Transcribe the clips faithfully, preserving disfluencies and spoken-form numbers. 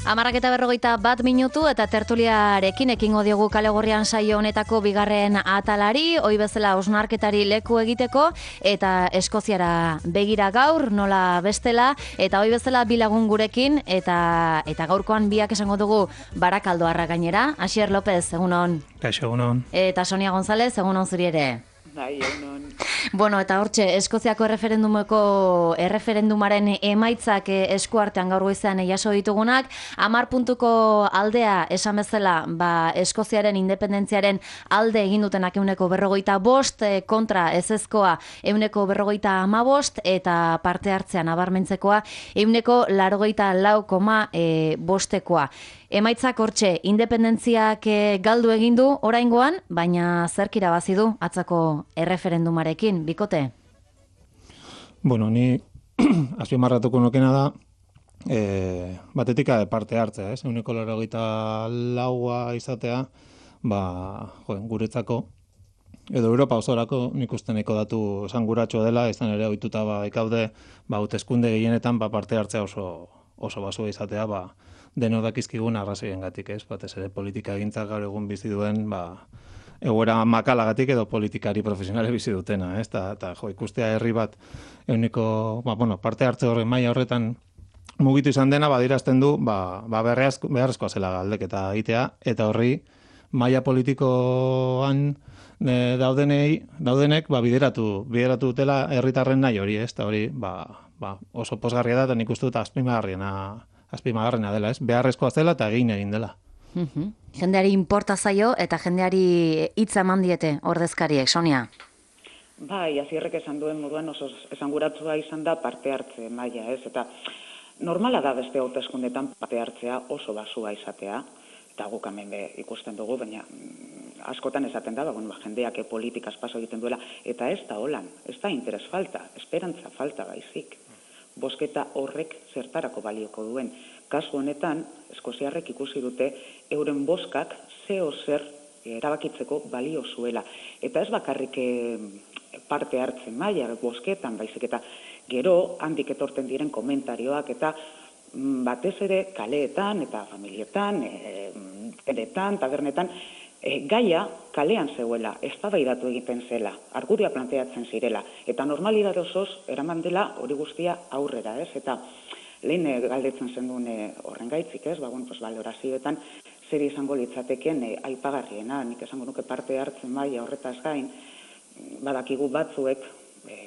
Hamarrak eta berrogeita bat minutu eta tertuliarekin ekingo diogu Kale Gorrian saio honetako bigarren atalari, ohi bezala hausnarketari leku egiteko eta Eskoziara begira gaur, nola bestela, eta ohi bezala bi lagun gurekin eta eta gaurkoan biak esango dugu Barakaldoarra gainera. Asier López, egunon. Kaixo, egunon. Eta Sonia González, egunon zuri ere. Bai, egunon. Bueno, eta hortxe, Eskoziako erreferendumeko erreferendumaren emaitzak eskuartean gaur goizean jaso ditugunak, hamar puntuko aldea esan bezala, ba, Eskoziaren independentziaren alde egin dutenak ehuneko berrogeita bost, kontra ezezkoa ehuneko berrogeita hamabost, eta parte hartzean nabarmentzekoa ehuneko laurogeita lau koma bostekoa. Emaitzak hortxe, independentziak galdu egin du oraingoan, baina zerk irabazi du atzako erreferendumarekin, bikote? Bueno, ni azpimarratuko nukena da, e, batetik parte hartzea, ez? Ehuneko laurogeita laua izatea, ba, jo, guretzako, edo Europa osorako nik uste nahiko datu esanguratsua dela, izan ere ohituta ba ikaude, ba hauteskunde gehienetan ba parte hartzea oso oso basua izatea, ba denok dakizkigun arrazoiengatik, ez? Batez ere politika egintzak gaur egun bizi duen, ba egoera makalagatik edo politikari profesionale bizi dutena, ez? Ta, ta jo, ikustea herri bat ehuneko, ba bueno, parte hartze horren maila horretan mugitu izan dena badirazten du, ba ba beharrezkoa zela galdeketa egitea eta horri maila politikoan e, daudenei, daudenek ba bideratu, bideratu dutela herritarren nahi hori, ez? Ta hori, ba, ba oso pozgarria da eta nik uste dut azpimargarriena azpimargarriena dela, ez? Beharrezkoa zela eta egin egin dela. Uhum. Jendeari inporta zaio eta jendeari hitza eman diete ordezkariek, Sonia. Bai, Asierrek esan duen moduan oso esanguratsua izan da parte hartze maila, ez? Eta normala da beste hauteskundetan parte hartzea oso basua izatea, eta guk hemen be ikusten dugu, baina askotan esaten da, ba, bueno, jendeak politikaz paso egiten duela, eta ez da holan, ez da interes falta, esperantza falta baizik. Bosketa horrek zertarako balioko duen. Kasu honetan, eskoziarrek ikusi dute euren boskak zeo zer erabakitzeko balio zuela. Eta ez bakarrik parte hartzen maila bosketan, baizik eta gero handik etorten diren komentarioak eta batez ere kaleetan eta familietan, teletan, tabernetan, E, gaia kalean zeuela, eztabaidatu egiten zela, argudioa planteatzen zirela, eta normalidade osoz eraman dela hori guztia aurrera, ez? Eta lehen galdetzen zenduen horren gaitzik, ez? Ba, bueno, pues, valorazioetan zer izango litzateken e, aipagarriena, nik esango nuke parte hartzen maila horretaz gain, badakigu batzuek e,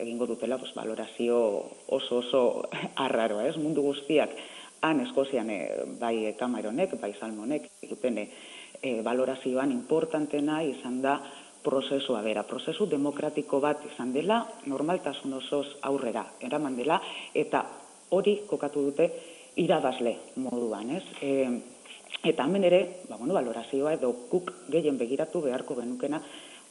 egingo dutela pues, valorazio oso oso arraroa, ez? Mundu guztiak han Eskozian e, bai Cameronek, bai Salmonek, duten E, valorazioan importantena izan da prozesua bera. Prozesu demokratiko bat izan dela, normaltasun osoz aurrera eraman dela, eta hori kokatu dute irabazle moduan, ez? E, eta hemen ere, ba, bueno, valorazioa edo guk gehien begiratu beharko genukena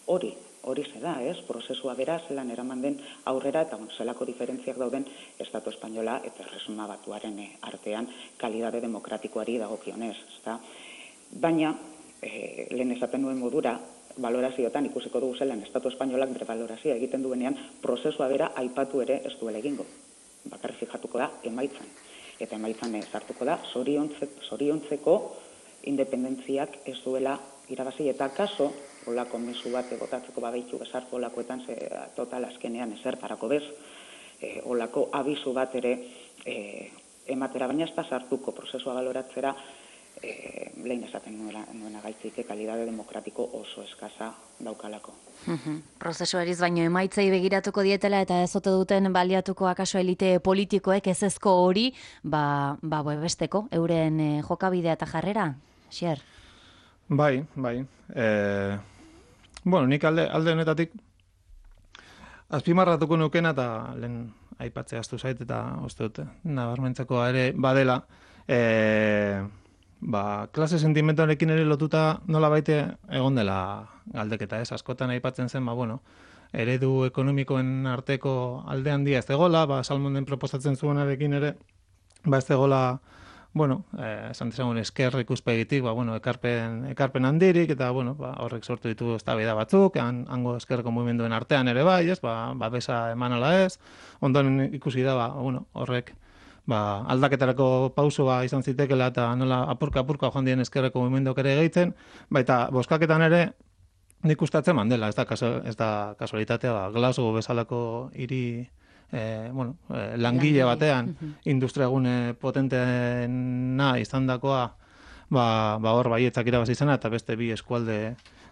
hori, hori ze da, ez? Prozesua bera zelan eraman den aurrera, eta bueno, zelako diferentziak dauden Estatu Espainola eta Erresuma Batuaren artean kalidade demokratikoari dagokionez, ezta? Baina, E, lehen esaten nuen modura, valorazioetan ikusiko dugu zelan Estatu Espainolak bere valorazioa egiten duenean, prozesua bera aipatu ere ez duela egingo. Bakarrik fijatuko da emaitzan. Eta emaitzan sartuko da zoriontzeko independentziak ez duela irabazi eta kaso, olako mezu bat egotatzeko babeitu bezartu olakoetan ze total azkenean ezertarako bez, e, olako abizu bat ere e, ematera, baina ez da sartuko prozesua valoratzera E, lehen esaten nuena gaitzik kalidade demokratiko oso eskasa daukalako. Uh-huh. Prozesu eriz baino emaitzei begiratuko dietela eta ez ote duten baliatuko akaso elite politikoek ezezko hori, ba, ba besteko, euren e, jokabidea eta jarrera, Xier? Bai, bai. E, bueno, nik alde, alde honetatik azpimarratuko nukena eta lehen aipatzea astu zait eta uste dute, nabarmentzeko ere badela, e, ba, klase sentimentalekin ere lotuta nola baite egon dela galdeketa, ez? Askotan aipatzen zen, ba, bueno, eredu ekonomikoen arteko alde handia ez egola, ba, Salmonen proposatzen zuenarekin ere, ba, ez egola, bueno, eh, esan dezagun esker ikuspegitik, ba, bueno, ekarpen, ekarpen handirik, eta, bueno, ba, horrek sortu ditu eztabaida batzuk, han, hango eskerreko mugimenduen artean ere bai, ez? Ba, babesa eman ala ez, ondoren ikusi da, ba, bueno, horrek ba, aldaketarako pausoa izan zitekela eta nola apurka-apurka joan dien ezkerreko mugimenduak ere gehitzen, baita boskaketan ere nik ustatzen mandela, ez da, kaso, ez da kasualitatea, ba, Glasgow bezalako hiri eh, bueno, eh, langile batean, industriagune potenteena izandakoa, ba, ba hor baietzak irabazi izana, eta beste bi eskualde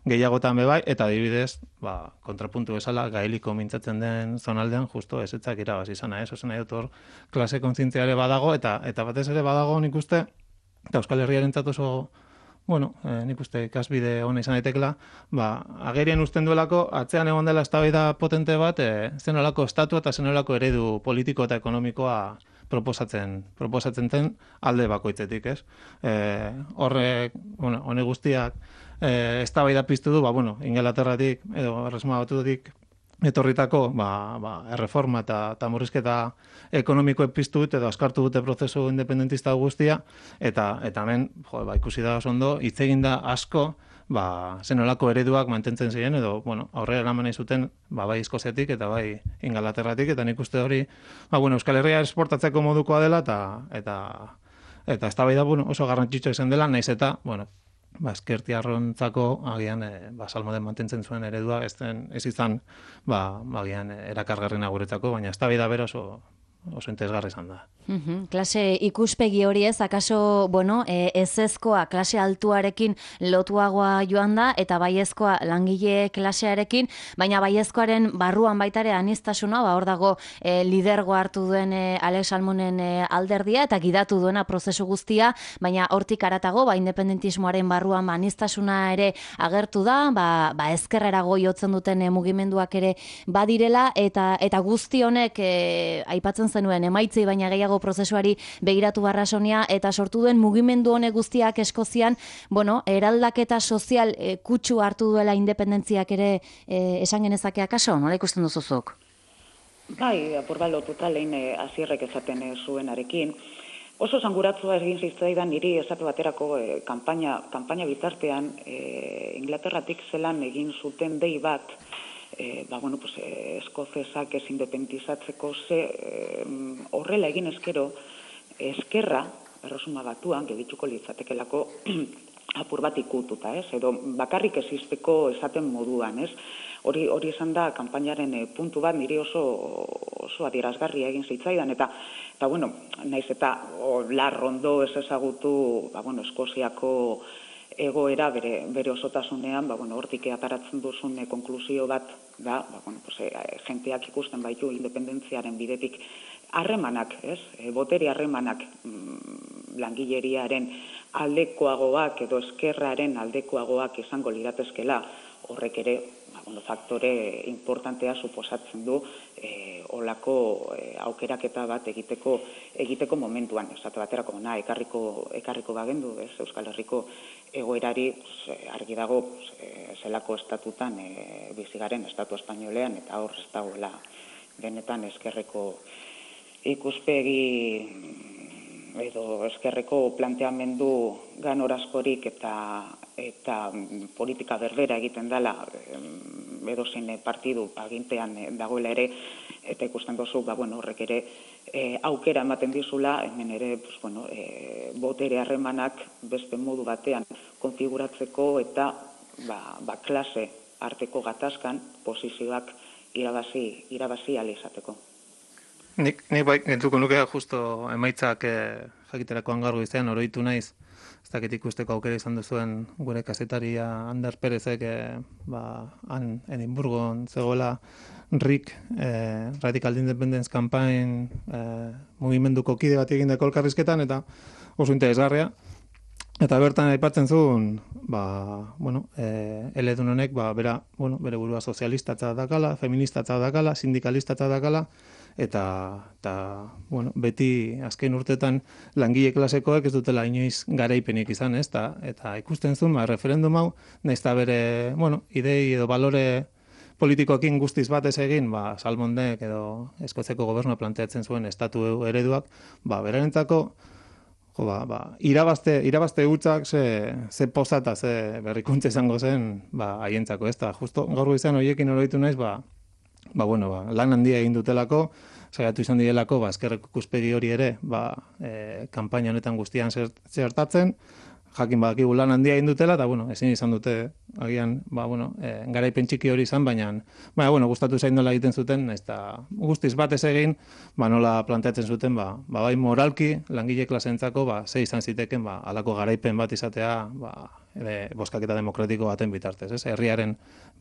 gehiagotan bebai, eta adibidez, ba, kontrapuntu bezala, gaeliko mintzatzen den zonaldean, justo ezetzak irabazi izana, ez? Ozen nahi dut hor, klase kontzientziare badago, eta eta batez ere badago nik uste, eta Euskal Herriarentzat oso, bueno, eh, nik uste ikasbide hona izan daitekela, ba, agerien usten duelako, atzean egon dela eztabaida potente bat, eh, zenolako estatu eta zenolako eredu politiko eta ekonomikoa proposatzen, proposatzen zen alde bakoitzetik, ez? Eh, horrek, bueno, hone guztiak, eh, eztabaida piztu du, ba, bueno, Ingalaterratik, edo Erresuma Batutik, etorritako, ba, ba, erreforma eta, eta murrizketa ekonomikoek piztu dute, edo askartu dute prozesu independentista guztia, eta, eta hemen, jo, ba, ikusi da oso ondo, hitz egin da asko, ba, zenolako ereduak mantentzen ziren, edo, bueno, aurrera eraman nahi zuten, ba, bai Eskoziatik eta bai Ingalaterratik, eta nik uste hori, ba, bueno, Euskal Herria esportatzeko modukoa dela, eta, eta, eta eztabaida, bueno, oso garrantzitsua izan dela, naiz eta, bueno, ba, ezkertiarrontzako agian e, ba, salmoden mantentzen zuen eredua, ez, den, ez izan, ba, agian erakargarrena guretzako, baina eztabaida bera oso, oso interesgarri izan da. Uhum, klase ikuspegi hori ez, akaso, bueno, e, ezezkoa klase altuarekin lotuagoa joan da, eta baiezkoa langile klasearekin, baina baiezkoaren barruan baitare aniztasuna, ba, hor dago e, lidergo hartu duen e, Alex Salmonen e, alderdia, eta gidatu duena prozesu guztia, baina hortik aratago, ba, independentismoaren barruan ba, aniztasuna ere agertu da, ba, ba ezkerrerago jotzen duten e, mugimenduak ere badirela, eta, eta guzti honek e, aipatzen zenuen emaitzei baina gehiago prozesuari begiratu barrasonia, eta sortu duen mugimendu honek guztiak Eskozian, bueno, eraldaketa sozial e, kutsu hartu duela independentziak ere e, esan genezake akaso, nola ikusten duzuzuk? Bai, apur bat lotuta lehen Asierrek esaten e, zuenarekin. Oso zanguratzua egin zitzaidan niri esate baterako e, kanpaina, kanpaina bitartean e, Inglaterratik zelan egin zuten dei bat, E, ba, bueno, pues, eh, eskozesak ez independizatzeko ze eh, horrela egin eskero eskerra, Erresuma Batuan, gebituko litzatekelako apur bat ikututa, ez? Edo bakarrik existeko esaten moduan, ez? Hori hori izan da kanpainaren e, puntu bat niri oso oso adierazgarria egin zitzaidan, eta eta bueno, naiz eta larrondo ez ezagutu, ba bueno, Eskoziako egoera bere, bere osotasunean, ba, bueno, hortik ataratzen duzun e, konklusio bat da, ba, bueno, pues, e, jenteak ikusten baitu independentziaren bidetik harremanak, ez? E, botere harremanak mm, langileriaren aldekoagoak edo eskerraren aldekoagoak izango liratezkela, horrek ere, ba, bueno, faktore importantea suposatzen du e, olako e, aukeraketa bat egiteko egiteko momentuan, esate baterako na ekarriko ekarriko bagendu, ez? Euskal Herriko egoerari argi dago zelako estatutan e, bizigaren estatu espainolean, eta hor ez dagoela benetan eskerreko ikuspegi edo eskerreko planteamendu ganorazkorik eta eta politika berbera egiten dela edozein partidu agintean dagoela ere, eta ikusten duzu, ba, bueno, horrek ere e, aukera ematen dizula, hemen ere, pues, bueno, e, botere harremanak beste modu batean konfiguratzeko eta ba, ba, klase arteko gatazkan posizioak irabazi, irabazi ahal izateko. Nik, nik bai, gentuko nuke justo emaitzak eh, jakiterakoan gaur goizean oroitu naiz, ez dakit ikusteko aukera izan duzuen gure kazetaria Ander Perezek eh, ba, han Edinburgon zegoela Rick, eh, Radical Independence Campaign eh, mugimenduko kide bat egindako elkarrizketan, eta oso interesgarria. Eta bertan aipatzen zuen, ba, bueno, eh, eledun honek, ba, bera, bueno, bere burua sozialistatza dakala, feministatza dakala, sindikalistatza dakala, eta, eta bueno, beti azken urtetan langile klasekoek ez dutela inoiz garaipenik izan, ez? Ta, eta ikusten zuen, ba, referendum hau, nahiz eta bere, bueno, idei edo balore politikoekin guztiz bat ez egin, ba, Salmondek edo Eskoziako gobernua planteatzen zuen estatu ereduak, ba, berarentzako, jo, ba, ba, irabazte, irabazte hutzak ze, ze posata, ze berrikuntza izango zen, ba, haientzako, ez da, justo gaur goizean horiekin oroitu naiz, ba, ba, bueno, ba, lan handia egin dutelako, saiatu izan direlako, ba, ezkerreko ikuspegi hori ere, ba, e, kanpaina honetan guztian zertatzen, jakin badakigu lan handia egin dutela, eta, bueno, ezin izan dute, agian, ba, bueno, e, garaipen txiki hori izan, baina, baina, bueno, gustatu zain nola egiten zuten, eta guztiz batez egin, ba, nola planteatzen zuten, ba, ba bai moralki, langile klasentzako, ba, ze izan ziteken, ba, alako garaipen bat izatea, ba, ere, bozkaketa demokratiko baten bitartez, ez? Herriaren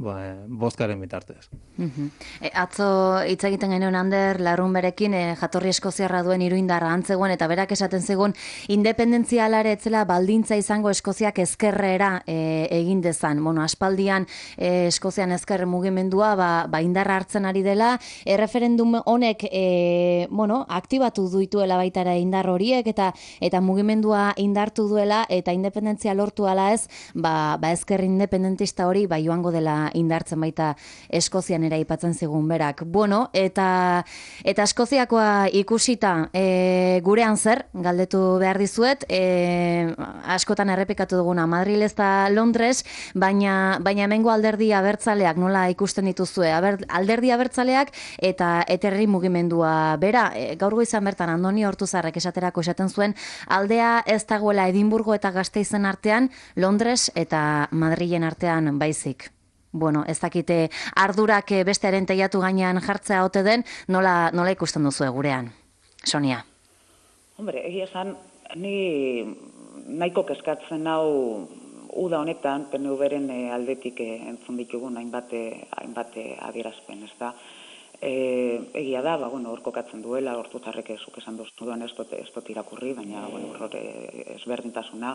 ba, bozkaren bitartez. Uh-huh. E, atzo hitz egiten genuen Ander Larrunberekin e, jatorri eskoziarra duen iruindarra antzegoen eta berak esaten zegoen independentzialare etzela baldintza izango Eskoziak ezkerrera e, egin dezan. Bueno, aspaldian e, Eskozian ezker mugimendua ba, ba indarra hartzen ari dela, erreferendum honek e, bueno, aktibatu duituela baita ere indar horiek eta eta mugimendua indartu duela eta independentzia lortu ala ez, ba, ba ezker independentista hori ba joango dela indartzen baita Eskozian era aipatzen zigun berak. Bueno, eta eta Eskoziakoa ikusita e, gurean zer galdetu behar dizuet, e, askotan errepikatu duguna Madrid eta Londres, baina baina hemengo alderdi abertzaleak nola ikusten dituzue? Aber, alderdi abertzaleak eta eterri mugimendua bera, e, gaur goizan bertan Andoni Hortuzarrek esaterako esaten zuen aldea ez dagoela Edinburgo eta Gasteizen artean, Londres eta Madrilen artean baizik. Bueno, ez dakite ardurak bestearen teiatu gainean jartzea ote den, nola, nola ikusten duzu gurean, Sonia? Hombre, egia esan, ni nahiko kezkatzen hau uda honetan, P N V-ren aldetik entzun ditugun hainbat hainbat adierazpen, ez da? E, egia da, ba, bueno, hor kokatzen duela, Hortuzarrek zuk esan duztuan ez dut, ez dut irakurri, baina bueno, hor ezberdintasuna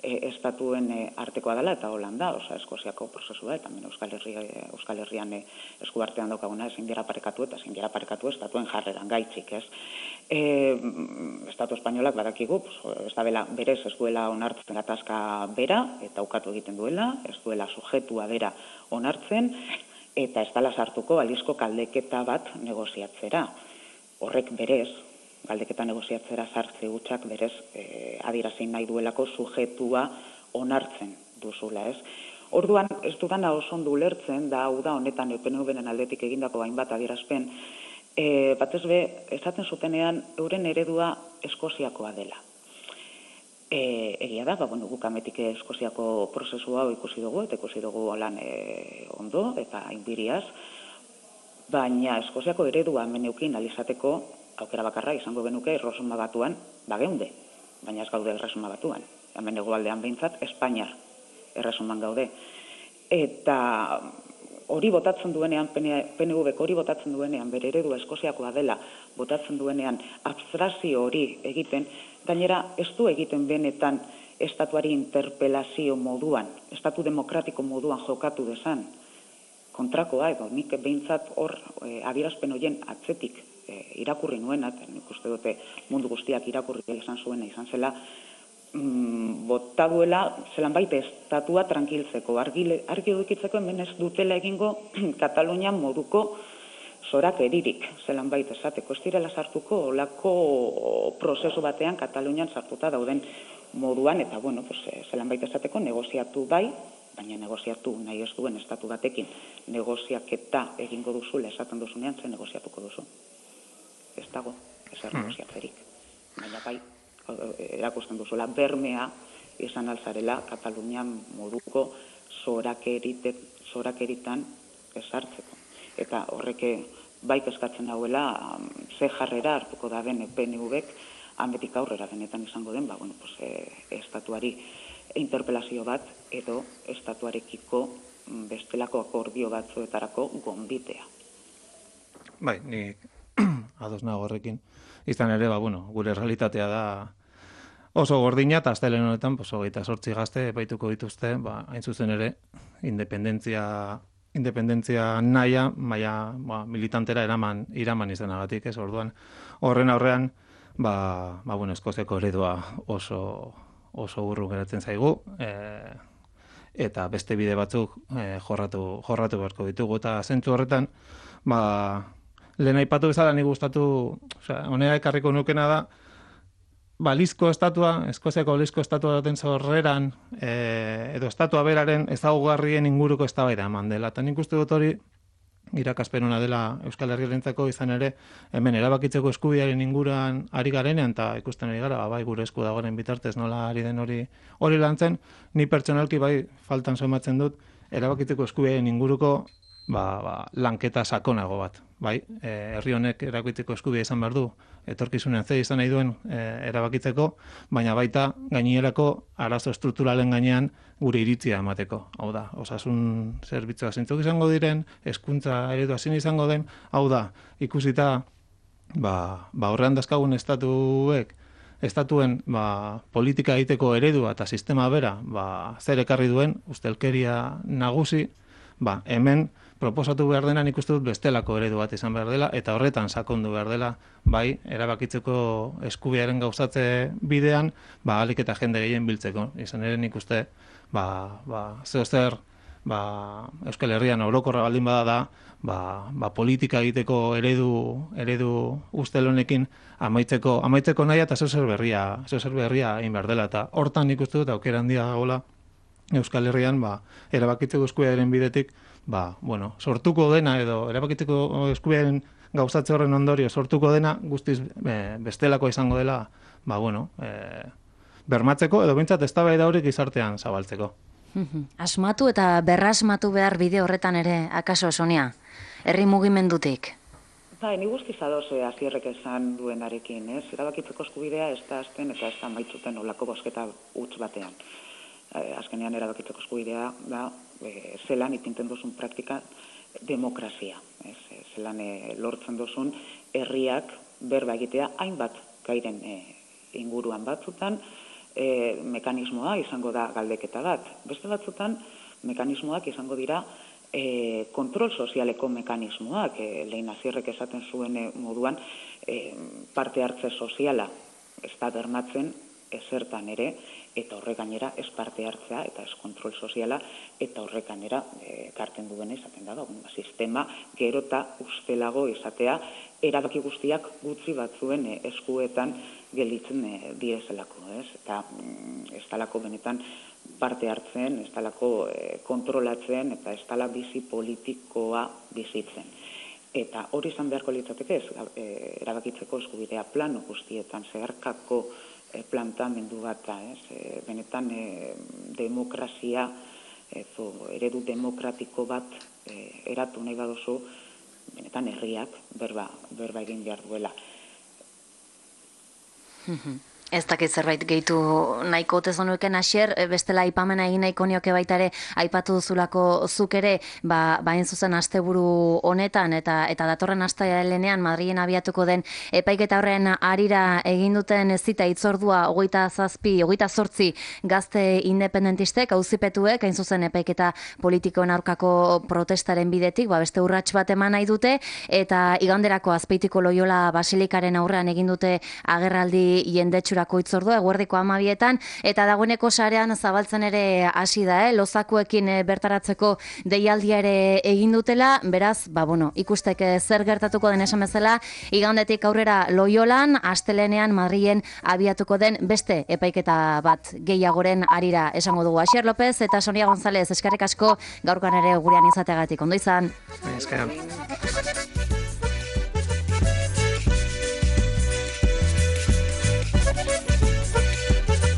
e, estatuen e, artekoa dela eta Holanda, oza, Eskoziako prozesua, eta hemen Euskal, Herria, Euskal Herrian e, eskuartean daukaguna ezin dira parekatu eta ezin dira parekatu estatuen jarreran gaitzik, ez? E, Estatu espainolak badakigu, ez da bela, berez ez duela onartzen gatazka bera, eta ukatu egiten duela, ez duela sujetua bera onartzen, eta ez dala sartuko alizko galdeketa bat negoziatzera. Horrek berez, galdeketa negoziatzera sartze hutsak berez e, adierazin nahi duelako sujetua onartzen duzula, ez? Orduan, ez dudana oso ondo ulertzen, da hau da honetan P N V-ren aldetik egindako hainbat adierazpen, e, batez be, esaten zutenean euren eredua Eskoziakoa dela. E, egia da, ba, bueno, guk ametik Eskoziako prozesua ikusi dugu, eta ikusi dugu lan e, ondo eta inbiriaz, baina Eskoziako eredua meneukin alizateko aukera bakarra izango genuke erresuma batuan, bageunde, baina ez gaude erresuma batuan. Hemen hegoaldean behintzat, Espainiar erresuman gaude. Eta hori botatzen duenean, P N V hori botatzen duenean, bere eredua Eskoziakoa dela, botatzen duenean, abstrazio hori egiten, gainera, ez du egiten benetan estatuari interpelazio moduan, estatu demokratiko moduan jokatu desan. Kontrakoa edo, nik behintzat hor e, adierazpen horien atzetik e, irakurri nuena, nik uste dute mundu guztiak irakurri esan zuena izan zela, mm, bota duela zelan baita estatua tranquiltzeko, argi, argi dukitzeko hemen ez dutela egingo Katalunian moduko zorak eririk, zelan baita esateko, ez direla sartuko olako prozesu batean Katalunian sartuta dauden moduan, eta bueno, pues, zelan baita esateko negoziatu bai, baina negoziatu nahi ez duen estatu batekin negoziaketa egingo duzula esaten duzunean, ze negoziatuko duzu. Ez dago, ez er negoziatzerik. Baina bai, erakusten duzula, bermea izan alzarela Katalunian moduko zorakeritan esartzeko. Eta horreke bai eskatzen hauela ze jarrera hartuko da den P N V-ek hanbetik aurrera benetan izango den, ba, bueno, pues, e, estatuari interpelazio bat edo estatuarekiko bestelako akordio batzuetarako gonbitea. Bai, ni ados nago horrekin. Izan ere, ba, bueno, gure realitatea da oso gordina, eta astelen honetan, pues, hogeita zortzi gazte epaituko dituzte, ba, hain zuzen ere, independentzia independentzia naia, maia ba, militantera eraman, iraman izanagatik, ez orduan. Horren aurrean, ba, ba, bueno, Eskoziako eredua oso, oso urru geratzen zaigu, e, eta beste bide batzuk e, jorratu, jorratu beharko ditugu, eta zentzu horretan, ba, lehen aipatu bezala nik gustatu, osea, honea ekarriko nukena da, balizko estatua, Eskoziako balizko estatua daten zorreran, e, edo estatua beraren ezaugarrien inguruko eztabaida eman dela. Eta nik uste dut hori, irakaspen ona dela Euskal Herriarentzako, izan ere hemen erabakitzeko eskubidearen inguruan ari garenean eta ikusten ari gara, bai gure esku dagoen bitartez nola ari den hori hori lantzen, ni pertsonalki bai faltan somatzen dut erabakitzeko eskubidearen inguruko ba, ba, lanketa sakonago bat. Bai, e, herri honek erabakitzeko eskubidea izan behar du, etorkizunean ze izan nahi duen e, erabakitzeko, baina baita gainerako arazo estrukturalen gainean gure iritzia emateko. Hau da, osasun zerbitzua zeintzuk izango diren, hezkuntza eredua zein izango den, hau da, ikusita ba, ba horrean dazkagun estatuek, estatuen ba, politika egiteko eredua eta sistema bera ba, zer ekarri duen, ustelkeria nagusi, ba, hemen proposatu behar dena nik uste dut bestelako eredu bat izan behar dela, eta horretan sakondu behar dela, bai, erabakitzeko eskubidearen gauzatze bidean, ba, alik eta jende gehien biltzeko. Izan ere nik uste, ba, ba, zeo zer, ba, Euskal Herrian orokorra baldin bada da, ba, ba, politika egiteko eredu, eredu ustel honekin amaitzeko, amaitzeko nahi eta zeo zer berria, zeo zer berria egin behar dela, eta hortan nik uste dut aukera handia dagoela Euskal Herrian, ba, erabakitzeko eskubidearen bidetik, ba, bueno, sortuko dena edo erabakitzeko eskubidearen gauzatze horren ondorio sortuko dena guztiz e, bestelako izango dela, ba, bueno, e, bermatzeko edo behintzat eztabaida hori gizartean zabaltzeko. Asmatu eta berrasmatu behar bide horretan ere, akaso Sonia, herri mugimendutik? Bai, ni guztiz ados Asierrek esan duenarekin, ez? Erabakitzeko eskubidea ez da azten eta ez da maitzuten olako bosketa huts batean. Azkenean erabakitzeko eskubidea da e, zelan ipinten duzun praktika demokrazia. Ez? Zelan e, lortzen duzun herriak berba egitea hainbat gairen e, inguruan batzutan e, mekanismoa izango da galdeketa bat. Beste batzutan mekanismoak izango dira e, kontrol sozialeko mekanismoak. E, Lehin Asierrek esaten zuen e, moduan e, parte hartze soziala ez da bermatzen ezertan ere, eta horrek gainera ez parte hartzea eta ez kontrol soziala, eta horrek gainera ekartzen duen izaten da, ba, sistema gero eta ustelago izatea erabaki guztiak gutxi batzuen e, eskuetan gelditzen e, diezelako, ez? Eta mm, ez talako benetan parte hartzen, ez talako e, kontrolatzen, eta ez tala bizi politikoa bizitzen. Eta hori izan beharko litzateke ez, e, erabakitzeko eskubidea plano guztietan zeharkako plantamendu bat da, ez? E, benetan e, demokrazia, ezo, eredu demokratiko bat e, eratu nahi baduzu, benetan herriak berba, berba egin behar duela. Ez dakit zerbait gehitu nahiko tezonuken Asier, bestela aipamena egin nahiko nioke baita ere aipatu duzulako zuk ere, ba, bain zuzen asteburu honetan eta eta datorren astelehenean Madrilen abiatuko den epaiketa horren harira egin duten zita hitzordua hogeita zazpi, hogeita zortzi gazte independentistek, auzipetuek, hain zuzen epaiketa politikoen aurkako protestaren bidetik, ba, beste urrats bat eman nahi dute, eta iganderako Azpeitiko Loiola Basilikaren aurrean egin dute agerraldi jendetsura hitzordua eguerdiko hamabietan, eta dagoeneko sarean zabaltzen ere hasi da, eh? Lozakuekin bertaratzeko deialdia ere egin dutela, beraz, ba, bueno, ikusteke zer gertatuko den esan bezala, igandetik aurrera Loiolan, astelehenean Madrilen abiatuko den beste epaiketa bat gehiagoren harira esango dugu. Asier López eta Sonia González, eskerrik asko gaurkoan ere gurean izateagatik. Ondo izan. Eskerrik.